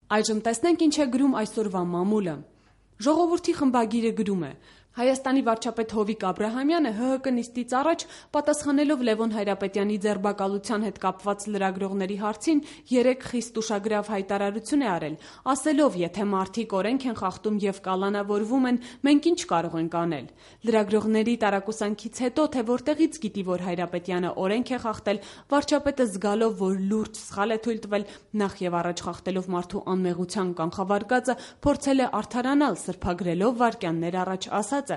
Այժմ տեսնենք ինչ է գրում այսօրվա մամուլը։ Ժողովրդի խմբագիրը գրում է. Հայաստանի վարչապետ Հովիկ Աբրահամյանը ՀՀԿ նիստից առաջ պատասխանելով Լևոն Հայրապետյանի ձերբակալության հետ կապված լրագրողների հարցին 3 խիստ ուշագրավ հայտարարություն է արել, ասելով, եթե մարդիկ օրենք են խախտում եւ կալանավորվում են, մենք ինչ կարող ենք անել։ Լրագրողների տարակուսանքից հետո, թե որտեղից գիտի, որ Հայրապետյանը օրենք է խախտել, վարչապետը զգալով, որ լուրջ սխալ է թույլ տվել, նախ եւ առաջ խախտելով մարդու անմեղության կանխավարկածը, փորձել է արդարանալ, սրբագրելով վայրկյաններ առաջ ասած.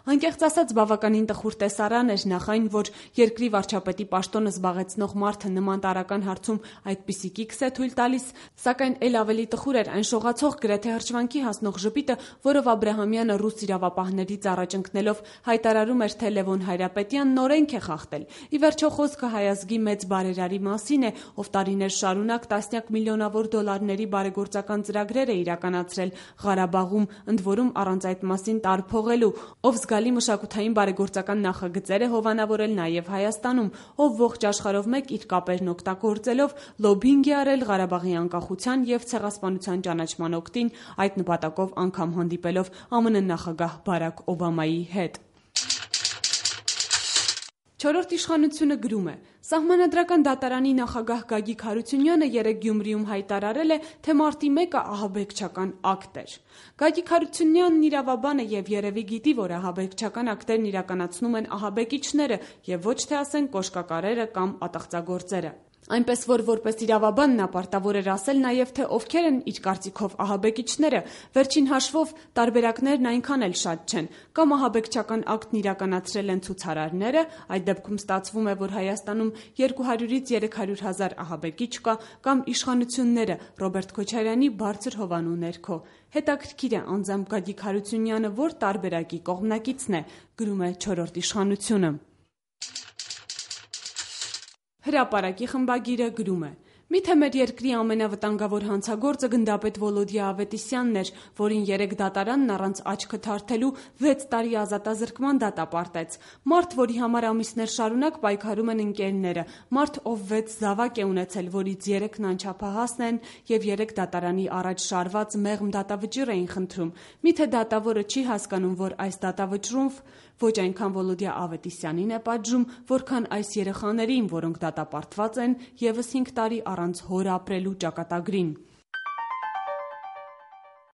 Անկեղծ ասած, բավականին տխուր տեսարան էր նախ այն, որ երկրի վարչապետի պաշտոնը զբաղեցնող մարդը նման տարրական հարցում այդպիսի կիքս է թույլ տալիս, սակայն ել ավելի տխուր էր այն շողացող գրեթե հրճվանքի հասնող ժպիտը, որով Աբրահամյանը ռուս իրավապահներից առաջ ընկնելով հայտարարում էր, թե Լևոն Հայրապետյանն օրենք է խախտել։ Ի վերջո խոսքը հայ ազգի մեծ բարերարի մասին է, ով տարիներ շարունակ տասնյակ միլիոնավոր դոլարների բարեգործական ծրագրեր է իրականացրել Ղարաբաղում, ընդ որում առանց այդ մասին տարփողելու, ով զգալի մշակութային բարեգործական նախագծեր է հովանավորել նաև Հայաստանում, ով ողջ աշխարհով մեկ իր կապերն օգտագործելով լոբինգ է արել Ղարաբաղի անկախության եւ ցեղասպանության ճանաչման օգտին, այդ նպատակով անգամ հանդիպելով ԱՄՆ նախագահ Բարաք Օբամայի հետ։ Չորրորդ իշխանությունը գրում է. Սահմանադրական դատարանի նախագահ Գագիկ Հարությունյանը երեկ Գյումրիում հայտարարել է, թե մարտի 1-ը ահաբեկչական ակտ էր։ Գագիկ Հարությունյանն իրավաբան է եւ երևի գիտի, որ ահաբեկչական ակտերն իրականացնում են ահաբեկիչները եւ ոչ թե ասեն կոշկակարերը կամ ատաղծագործերը։ Այնպես որ որպես իրավաբան նա պարտավոր էր ասել նաև, թե ովքեր են իր կարծիքով ահաբեկիչները, վերջին հաշվով տարբերակներն այնքան էլ շատ չեն, կամ ահաբեկչական ակտն իրականացրել են ցուցարարները, այդ դեպքում ստացվում է, որ Հայաստանում 200-ից 300 հազար ահաբեկիչ կա, կամ իշխանությունները Ռոբերտ Քոչարյանի բարձր հովանու ներքո։ Հետաքրքիր է անձամբ Գագիկ Հարությունյանը որ տարբերակի կողմնակիցն է, գրում է Չորրորդ իշխանությունը։ Հրապարակի խմբագիրը գրում է. Միթե մեր երկրի ամենավտանգավոր հանցագործը գնդապետ Վոլոդիա Ավետիսյանն էր, որին երեկ դատարանն առանց աչքը թարթելու 6 տարի ազատազրկման դատապարտեց։ Մարդ, որի համար ամիսներ շարունակ պայքարում են ընկերները, մարդ, ով 6 զավակ է ունեցել, որից 3-ն անչափահասն են եւ 3 դատարանի առաջ շարված մեղմ դատավճիռ էին խնդրում։ Միթե դատավորը չի հասկանում, որ այս դատավճռով ոչ այնքան Վոլոդիա Ավետիսյանին է պատժում, որքան այս երեխաներին, որոնք դատապարտված են եւս 5 տարի առանց հոր ապրելու ճակատագրին։